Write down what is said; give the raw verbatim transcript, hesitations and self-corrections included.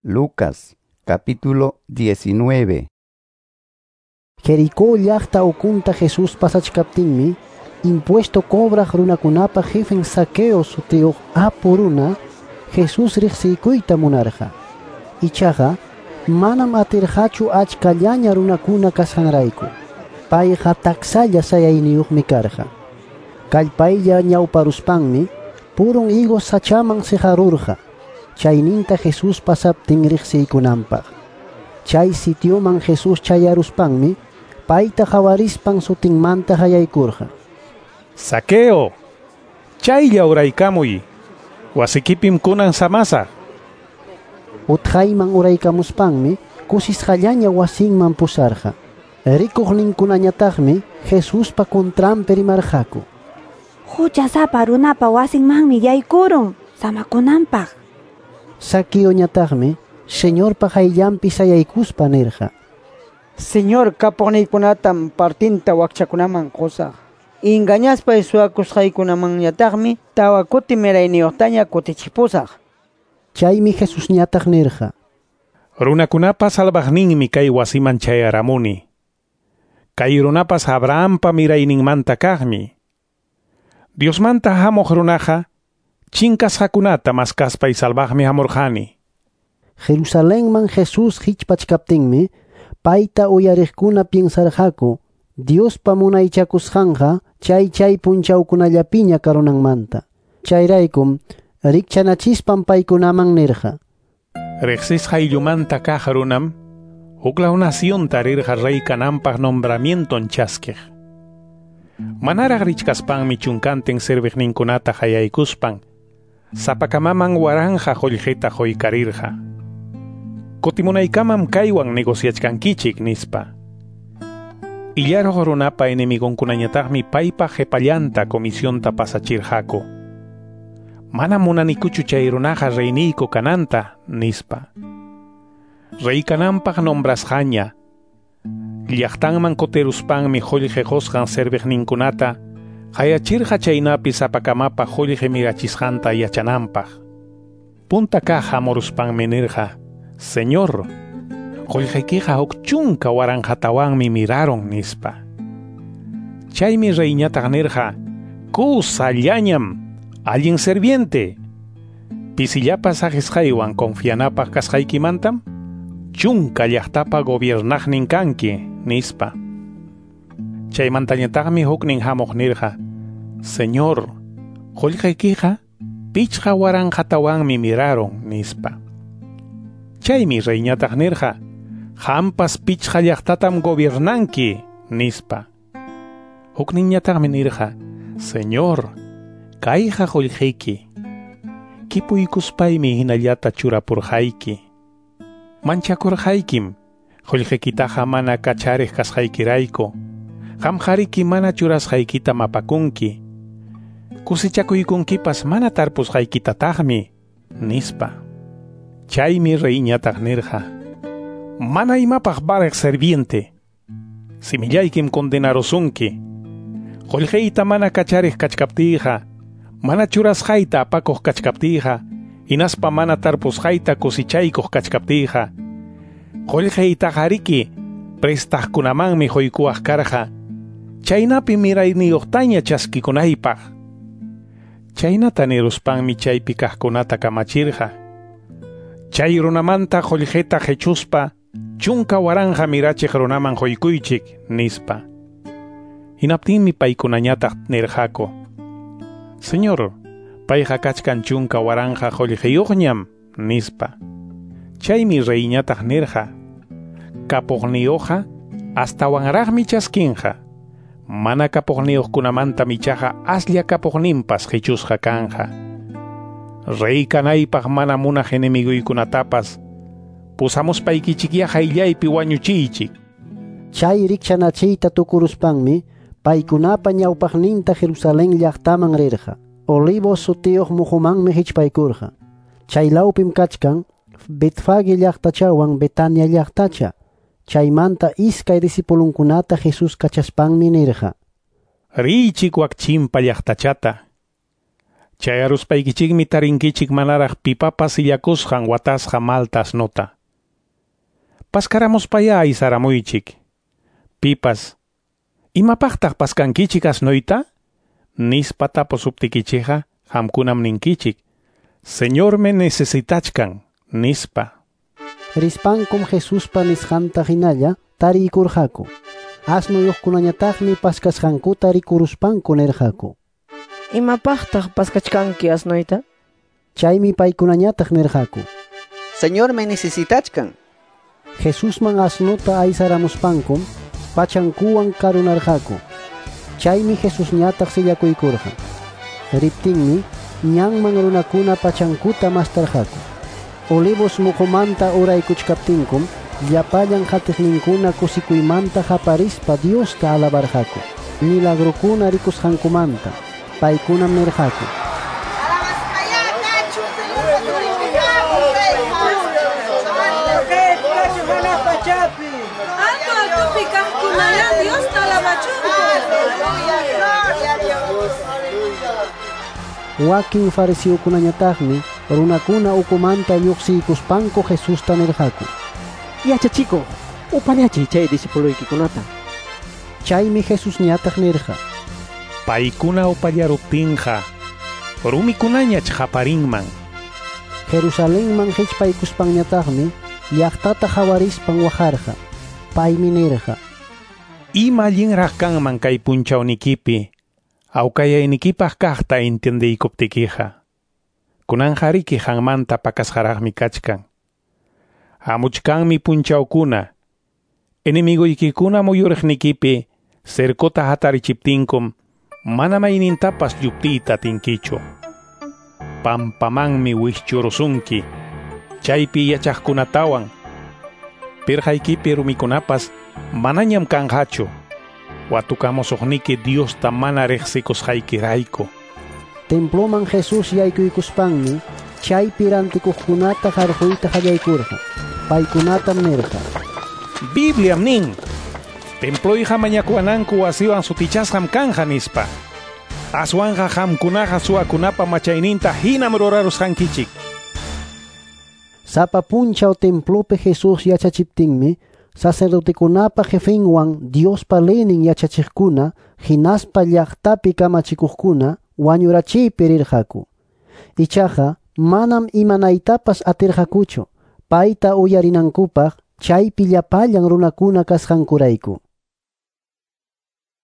Lucas capítulo diecinueve. Jericó llaqta ukunta Jesús pasachkaptinmi, impuesto cobraq runakunapa jefen Zaqueo sutiyuq apu runa Jesús riqsiykuyta munarqa. Ichaqa manam atirqachu achkallaña runakuna kasqanrayku. Payqa taksalla sayayniyuqmi karqa. Kallpaylla ñawparuspanmi purun higos sachaman siqarurqa, chayninta Jesús pasaptin riqsiykunanpaq. Chay sitioman Jesús chayaruspanmi payta qawarispan sutinmanta hayaykurqa. Zaqueo, chaylla uraykamuy, wasikipim kunan samasaq. Utqayman uraykamuspanmi kusisqallaña wasinman pusarqa. Rikuqninkunañataqmi Jesuspa contranpi rimarqaku. Huchasapa runapa wasinmanmi yaykurun samakunanpaq. Zaqueoñataqmi Señorpa qayllanpi sayaykuspa nirqa: Señor, kapuqniykunatam partinta wakchakunaman qusaq. Engañaspay suwakusqaykunamanñataqmi tawa kuti mirayniyuqtaña kutichipusaq. Chaymi Jesusñataq nirqa: Runakunapa salvaqninmi kay wasiman chayaramuni. Kay runapas Abrahampa mirayninmanta kaqmi. Diosmanta hamuq runaqa chinkasqakunata maskaspay salvaqmi hamurqani. Jerusalenman Jesús hichpachkaptinmi payta uyariqkuna piensarqaku Diospa munaychakusqanqa chay chay punchawkunallapiña karunanmanta. Chayraykum rikchanachispan paykunaman nirqa: Riqsisqa ayllumanta kaq runam huklaw nacionta rirqa rey kananpaq nombramienton chaskiq. Manaraq richkaspanmi chunkantin serviqninkunata hayaykuspan sapakamaman waranja qullqita quykarirqa. Kutimunaykamam kaywan negociachkankichik nispa. Illaruq runapa enemigonkunañataqmi paypa qhipallanta comisionta pasachirqaku. Mana munanikuchu chay runaqa reyniyku kananta, nispa. Rey kananpaq nombrasqaña llaqtanman kutiruspanmi qullqi qusqan serviqninkunata qayachirqa chaynapi sapakamapa qullqi mirachisqanta yachananpaq. Punta kaq hamuruspanmi nirqa: Señor, qullqiykiqa huk chunka waranqatawanmi miraron, nispa. Chaymi reyñataq nirqa: Kusallañam, allin serviente. Pisillapas saqisqaywan confianapaq kasqaykimantam chunka llaqtapa gobiernaqnin kanki, nispa. Chaymantañataqmi huknin hamuq nirqa: Señor, qullqiykiqa pichqa waranqatawanmi miraron, nispa. Chaymi reyñataq nirqa: Qampas pichqa llaqtatam gobiernanki, nispa. Hukninñataqmi nirqa: Señor, kayqa qullqiyki. Kipuykuspaymi hinallata churapurqayki. Manchakurqaykim, qullqiykitaqa mana kachariq kasqaykirayku. Qamqariki mana churasqaykita mapakunki. Kusichakuykunkipas mana tarpusqaykitataqmi, nispa. Chaymi reyñataq nirqa: Mana imapaq valeq serviente. Simillaykim condenarusunki. Qullqiyta mana kachariq kachkaptiyqa, mana churasqayta apakuq kachkaptiyqa, hinaspa mana tarpusqayta kusichaykuq kachkaptiyqa, qullqiytaqariki prestaqkunamanmi quykuwaq karqa, chaynapi mirayniyuqtaña chaskikunaypaq. Chaynata niruspanmi chaypi kaqkunata kamachirqa: Chay runamanta qullqita qhichuspa chunka waranja mirachiq runaman quykuychik, nispa. Hinaptinmi paykunañataq nirqaku: Señor, payqa kachkan chunka waranja qullqiyuqñam, nispa. Chaymi reyñataq nirqa: Kapuqniyuqqa astawanraqmi chaskinqa. Mana kapuqniyuqkunamantam ichaqa aslla kapuqninpas qichusqa kanqa. Rey kanaypaq mana munaq enemiguykunatapas pusamuspaykichikyá qayllaypi wañuchiychik. Chay rikchanachiyta tukuruspanmi paykunapa ñawpaqninta Jerusalén llaqtaman rirqa. Olivos sutiyuq muhumanmi hichpaykurqa. Chaylawpim kachkan Betfage llaqtachawan Betania llaqtacha. Chaymanta iskay discipulunkunata Jesús kachaspanmi nirqa: Riychik wak chimpa llaqtachata. Chayaruspaykichikmi tarinkichik manaraq pipapas sillakusqan watasqa malta asnuta. Paskaramuspayá aysaramuychik. Pipas, imapaqtaq paskankichik asnuyta? Nispa tapusuptikichikqa qamkunam ninkichik, Señormi necesitachkan, nispa. Rispankum Jesuspa nisqanta hinalla tariykurqaku. Asnuyuqkunañataqmi paskasqankuta rikuruspanku nirqaku: Imapaqtaq paskachkanki asnuyta? Chaymi paykunañataq nirqaku: Señormi necesitachkan. Jesusman asnuta aysaramuspankum pachankuwan karunarqaku. Chaymi Jesusñataq sillakuykurqa. Riptinmi ñanman runakuna pachankuta mastarqaku. Olivos muqumanta uraykuchkaptinkum llapallan qatiqninkuna kusikuymanta qaparispa Diosta alabarqaku. Milagrokuna rikusqankumanta. Paykunam nirqaku: Alto altopi kaqkunayá Diosta alabachunku. Wakin fariseokunañataqmi runakuna ukumanta lluqsiykuspanku Jesusta nirqaku: Yachachikuq, upallachiy chay discipuluykikunata. Chaymi Jesusñataq nirqa: Paykuna upallaruptinqa rumikunañach qaparinman. Jerusalenman hichpaykuspanñataqmi llaqtata hawarispan waqarqa. Paymi nirqa: Ima allinraq kanman kay punchawnikipi awkayaynikipaq kaqta entiendeykuptikiqa. Kunanqa riki qanmanta pakasqaraqmi kachkan. Hamuchkanmi punchawkuna, enemigoykikuna muyuriqnikipi cercota hatarichiptinkum mana maynintapas lluptiyta atinkichu. Pampamanmi wischurusunki, chaypi yachaqkunatawan. Pirqaykipi rumikunapas manañam kanqachu. Watukamusuqniki Diosta mana riqsikusqaykirayku. Temploman Jesús yaykuykuspanmi chaypi rantikuqkunata qarquyta qallaykurqa. Paykunatam nirqa: Bibliam nin, temployqa mañakuwananku wasiwan sutichasqam kanja nispa. Aswanqa qamkunaqa suwakunapa machayninta hinam rurarusqankichik. Sapa punchaw templopi Jesús yachachiptinmi sacerdotekunapa jefenwan Diospa leynin yachachiqkuna hinaspa llaqtapi kamachikuqkuna wañurachiypi rirqaku. Ichaqa manam imanaytapas atirqakuchu payta uyarinankupaq chaypi llapallan runakuna kasqankurayku.